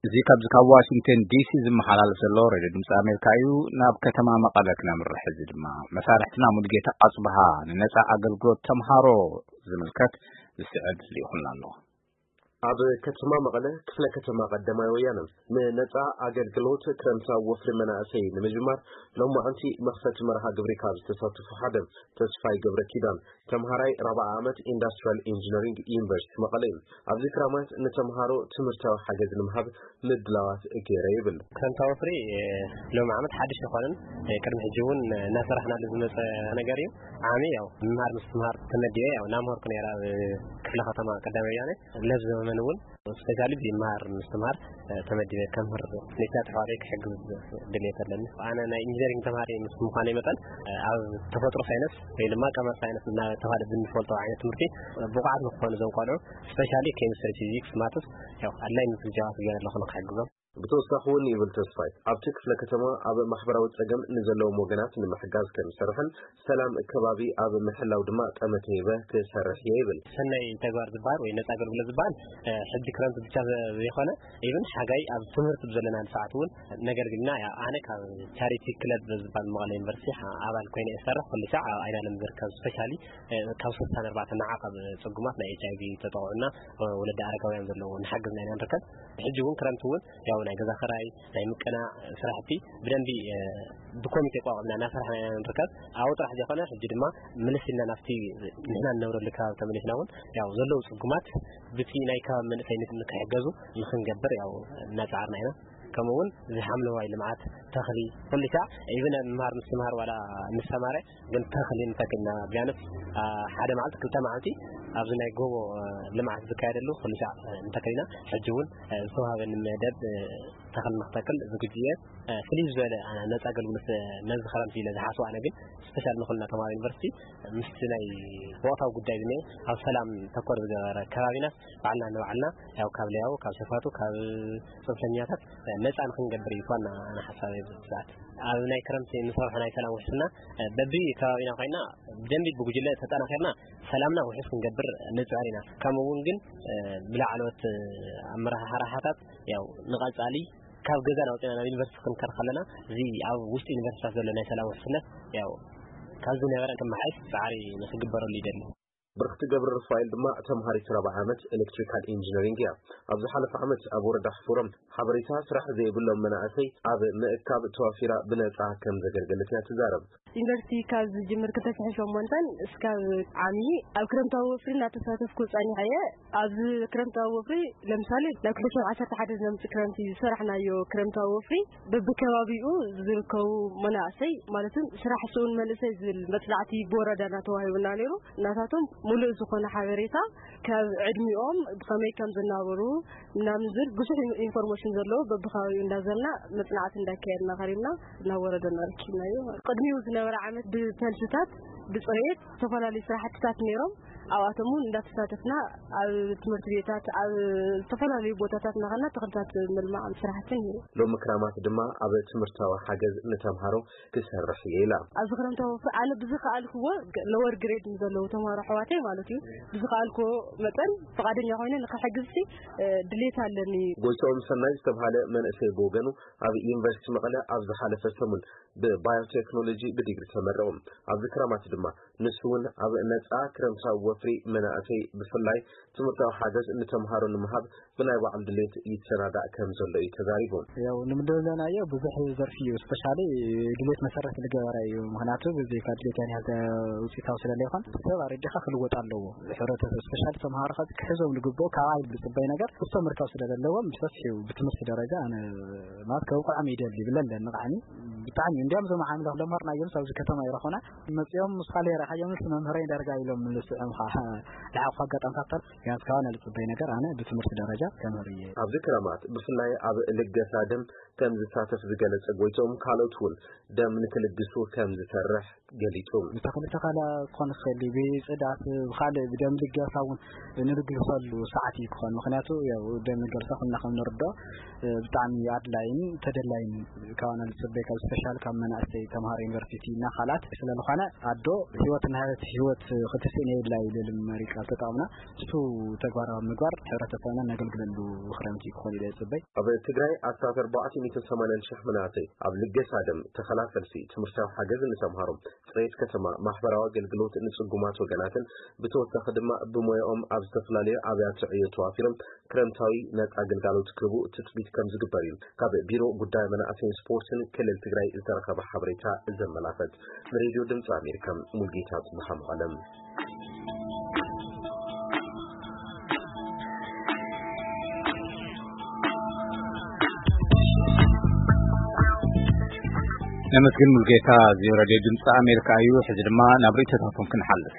እዚ ካብዚ ካብ ዋሽንግተን ዲሲ ዝመሓላለፍ ዘሎ ሬድዮ ድምፂ ኣሜሪካ እዩ። ናብ ከተማ መቐለ ክነምርሕ፣ እዚ ድማ መሳርሕትና ሙሉጌታ ኣፅብሃ ንነፃ ኣገልግሎት ተምሃሮ ዝምልከት ዝስዕብ ልኢኹልና ኣሎ። ኣብ ከተማ መቐለ ክፍለ ከተማ ቀዳማይ ወያነ ንነፃ ኣገልግሎት ክረምታዊ ወፍሪ መናእሰይ ንምጅማር ሎማዓንቲ መኽፈቲ መርሃ ግብሪ ካብ ዝተሳተፉ ሓደ ተስፋይ ገብረ ኪዳን ተምሃራይ ራብዓ ዓመት ኢንዳስትሪያል ኢንጂነሪንግ ዩኒቨርሲቲ መቐለ እዩ። ኣብዚ ክራማት ንተምሃሮ ትምህርታዊ ሓገዝ ንምሃብ ምድላዋት ገይረ ይብል። ክረምታዊ ወፍሪ ሎሚ ዓመት ሓድሽ ይኾንን ቅድሚ ሕጂ እውን እናሰራሕናሉ ዝመፀ ነገር እዩ። ዓሚ ያው ምምሃር ምስትምሃር ተመዲበ ያው እናምሃርኩ ነይረ ኣብ ክፍለ ከተማ ቀዳማይ ወያነ ለብ ዘመመን እውን ስፔሻሊ ብምምሃር ምስትምሃር ተመዲበ ከምህር ነታ ተሓዋሪ ክሕግዝ ድሌት ኣለኒ። ኣነ ናይ ኢንጂነሪንግ ተምሃሪ ምስ ምዃነይ መጠን ኣብ ተፈጥሮ ሳይንስ ወይ ድማ ቀመር ሳይንስ እናተባሃለ ብንፈልጦ ዓይነት ትምህርቲ ብቑዓት ንክኾኑ እዞም ቆልዑ ስፔሻሊ ኬሚስትሪ፣ ፊዚክስ፣ ማትስ ያው ኣድላይ ምስ ዝጃባቱ ገይረ ኣለኹ ንክሕግዞም። ብተወሳኺ እውን ይብል ተስፋይ ኣብቲ ክፍለ ከተማ ኣብ ማሕበራዊ ፀገም ንዘለዎም ወገናት ንምሕጋዝ ከም ዝሰርሕን ሰላም ከባቢ ኣብ ምሕላው ድማ ጠመተ ሂበ ክሰርሕ እየ ይብል። ሰናይ ተግባር ዝበሃል ወይ ነፃ ኣገልግሎት ዝበሃል ሕጂ ክረምቲ ብቻ ዘይኮነ ኢቭን ሓጋይ ኣብ ትምህርቲ ብዘለናሉ ሰዓት እውን ነገልግልና። ኣነ ካብ ቻሪቲ ክለብ ዝበሃል መቐለ ዩኒቨርሲቲ ኣባል ኮይነ እሰርሕ ኩሉ ሳዕ ኣብ ኣይናለም ዝርከብ ስፔሻሊ ካብ ስልሳን ኣርባዕተን ንዓቐብ ፅጉማት ናይ ኤች ኣይቪ ተጠቕዑና ወለዲ ኣረጋውያን ዘለዎ ንሓግዝና ኢና ንርከብ። ሕጂ እውን ክረምቲ እውን ያው ናይ ገዛ ክራይ ናይ ምቅናዕ ስራሕቲ ብደንቢ ብኮሚቴ ቋቋምና እናሰራሕና ኢና ንርከብ። ኣብኡ ጥራሕ ዘይኮነ ሕጂ ድማ ምልስ ኢልና ናብቲ ንሕና ንነብረሉ ከባቢ ተመሊስና እውን ያው ዘለዉ ፅጉማት ብቲ ናይ ከባቢ መንእሰይ ንክሕገዙ ንክንገብር ያው እናፀዓርና ኢና። ከምኡ እውን እዚ ሓምለዋይ ልምዓት ተኽሊ ኩሉ ሳዕ ኢብን ኣብ ምምሃር ምስትምሃር ዋላ ንሰማረ ግን ተኽሊ ንተክልና ቢያንስ ሓደ መዓልቲ ክልተ መዓልቲ ኣብዚ ናይ ጎቦ ልምዓት ዝካየደሉ ኩሉ ሳዕ ንተክልና። ሕጂ እውን ዝተዋሃበኒ መደብ ተኽሊ ንክተክል ዝግጁ እየ። ፍልይ ዝበለ ነፃ ኣገልግሎት ነዚ ክረምቲ ኢለ ዝሓስቦ ኣነ ግን ስፔሻል ንኩልና ተምሃሮ ዩኒቨርሲቲ ምስቲ ናይ ወቕታዊ ጉዳይ ዝኒአ ኣብ ሰላም ተኮር ዝገበረ ከባቢናስ ባዕልና ንባዕልና ያው ካብ ለያቡ ካብ ሸፋቱ ካብ ፅንፈኛታት ነፃ ንክንገብር እዩ ዋና ኣነ ሓሳብ ኣብዚ ሰዓት ኣብ ናይ ክረምቲ ንሰርሖ ናይ ሰላም ውሕስና በቢ ከባቢና ኮይና ብደንቢ ብጉጅለ ተጠናኺርና ሰላምና ውሕስ ክንገብር ንፅዕር ኢና። ከምኡ እውን ግን ብላዕለዎት ኣመራሓራሓታት ያው ንቐፃሊ ካብ ገዛ ናውፅና ናብ ዩኒቨርሲቲ ክንከር ከለና እዚ ኣብ ውሽጢ ዩኒቨርሲታት ዘሎ ናይ ሰላም ውሕስነት ያው ካብ ዝነበረ ክመሓየሽ ፃዕሪ ንክግበረሉ ይደሊ። ብርክቲ ገብረ ሩፋኤል ድማ ተምሃሪት ራብዓ ዓመት ኤሌክትሪካል ኢንጂነሪንግ እያ። ኣብ ዝሓለፈ ዓመት ኣብ ወረዳ ሕፉሮም ሓበሬታ ስራሕ ዘይብሎም መናእሰይ ኣብ ምእካብ ተዋፊራ ብነፃ ከም ዘገልገለት እያ ትዛረብ። ዩኒቨርሲቲ ካብ ዝጅምር ክልተ ሽሕን ሸሞንተን እስካብ ዓሚ ኣብ ክረምታዊ ወፍሪ እናተሳተፍኩ ፀኒሐ እየ። ኣብዚ ክረምታዊ ወፍሪ ለምሳሌ ናብ ክልተ ሽሕን ዓሰርተ ሓደ ዝመፅእ ክረምቲ ዝሰራሕናዮ ክረምታዊ ወፍሪ በብከባቢኡ ዝርከቡ መናእሰይ ማለትም ስራሕ ስኡን መንእሰይ ዝብል መፅናዕቲ ብወረዳና ተዋሂቡና ነይሩ። እናታቶም ሙሉእ ዝኾነ ሓበሬታ ካብ ዕድሚኦም ብኸመይ ከም ዝናበሩ ምናምን ዝብል ብዙሕ ኢንፎርሜሽን ዘለዎ በብከባቢኡ እንዳዘርና መፅናዕቲ እንዳካየድና ከሪምና ናብ ወረዳና ረኪብናዮ። ቅድሚኡ ዝነበረ ዓመት ብፈልስታት ብፅሬት ዝተፈላለዩ ስራሕትታት ነይሮም። ኣብኣቶም እውን እንዳተሳተፍና ኣብ ትምህርቲ ቤታት ኣብ ዝተፈላለዩ ቦታታት እናኸና ተኽልታት ምልማዕ ስራሕቲ ነይሩ። ሎሚ ክራማት ድማ ኣብ ትምህርታዊ ሓገዝ ንተምሃሮ ክሰርሕ እየ ኢላ። ኣብዚ ክረምታዊ ወፍሪ ኣነ ብዝኸኣልክዎ ሎወር ግሬድ ንዘለዉ ተምሃሮ ኣሕዋተይ ማለት እዩ ብዝኸኣልክዎ መጠን ፍቓደኛ ኮይነ ንክሕግዝሲ ድሌት ኣለኒ። ጎይትኦም ሰናይ ዝተብሃለ መንእሰይ ብወገኑ ኣብ ዩኒቨርሲቲ መቐለ ኣብ ዝሓለፈ ሰሙን ብባዮቴክኖሎጂ ብዲግሪ ተመረቑ። ኣብዚ ክረማት ድማ ንሱ እውን ኣብ ነፃ ክረምታዊ ወፍሪ መናእሰይ ብፍላይ ትምህርታዊ ሓገዝ ንተምሃሮ ንምሃብ ብናይ ባዕሉ ድሌት ይሰናዳእ ከም ዘሎ እዩ ተዛሪቡ። ያው ንምድለናዮ ብዙሕ ዘርፊ እዩ ስፔሻሊ ድሌት መሰረት ዝገበረ እዩ። ምክንያቱ ብዘይካ ድሌት ያን ያህል ውፅኢታዊ ስለለይኮን ሰብ ኣረዲኻ ክልወጥ ኣለዎ። ሕብረተሰብ ስፔሻሊ ተምሃሮ ከዚ ክሕዞም ዝግብኦ ካብ ኣይል ዝፅበይ ነገር እሶም ምርካብ ስለዘለዎም ብሰፊሑ ብትምህርቲ ደረጃ ኣነ ማለት ከብቅዖም ይደሊ ይብለ ኣለኒ ቃዕኒ ብጣዕሚ እንዲያም እዞም ዓምለ ክለምሃር ናዮም ኣብዚ ከተማ ይረኾና መፂኦም ምስ ካልሄ ረሓዮም ምስ መምህረይ ዳርጋ ኢሎም ምልስዖም ከዓ ለዓኹ ኣጋጣምታት ተር ቢያንስ ካባና ዝፅበይ ነገር ኣነ ብትምህርቲ ደረጃ ከምህር እየ። ኣብዚ ክረማት ብፍላይ ኣብ ልገሳ ደም ከም ዝሳተፍ ዝገለጸ ጎይቶም ካልኦት እውን ደም ንክልግሱ ከም ዝሰርሕ ገሊጹ። ብተኽሊ ተኸላ ክኾን ይኽእል እዩ፣ ብፅዳት ብካልእ ብደም ልገሳ እውን ንልግሰሉ ሰዓት እዩ ክኾን። ምክንያቱ ያው ደም ልገሳ ኩልና ከም ንርዶ ብጣዕሚ ኣድላይን ተደላይን ካባና ዝፅበይ ካብ ስፔሻል ካብ መናእሰይ ተምሃሮ ዩኒቨርሲቲ እና ካልኣት ስለዝኾነ ኣዶ ህይወት እናሃበት ህይወት ክትስእን የብላ ይብል መሪ ቃል ተጠቕምና እሱ ተግባራዊ ምግባር ሕብረተሰብና ነገልግል ክለሉ ክረምቲ ክኾን ኢለ ዝጽበይ። ኣብ ትግራይ ኣስታት ኣርባዕተ ሚእትን ሰማንያን ሽሕ መናእሰይ ኣብ ልገሳ ደም፣ ተኸላ ፈልሲ፣ ትምህርታዊ ሓገዝ ንተምሃሮ፣ ፅሬት ከተማ፣ ማሕበራዊ ኣገልግሎት ንፅጉማት ወገናትን ብተወሳኺ ድማ ብሞያኦም ኣብ ዝተፈላለዩ ኣብያተ ዕዮ ተዋፊሮም ክረምታዊ ነፃ ግልጋሎት ክህቡ ትፅቢት ከም ዝግበር እዩ ካብ ቢሮ ጉዳይ መናእሰይን ስፖርትን ክልል ትግራይ ዝተረኸበ ሓበሬታ ዘመላኸት። ንሬድዮ ድምፂ ኣሜሪካ ሙልጌታ ጽብሓ መቐለም። ነመስግን ሙልጌታ። እዚ ሬድዮ ድምፂ ኣሜሪካ እዩ። ሕዚ ድማ ናብ ርእይቶታቶም ክንሓልፍ።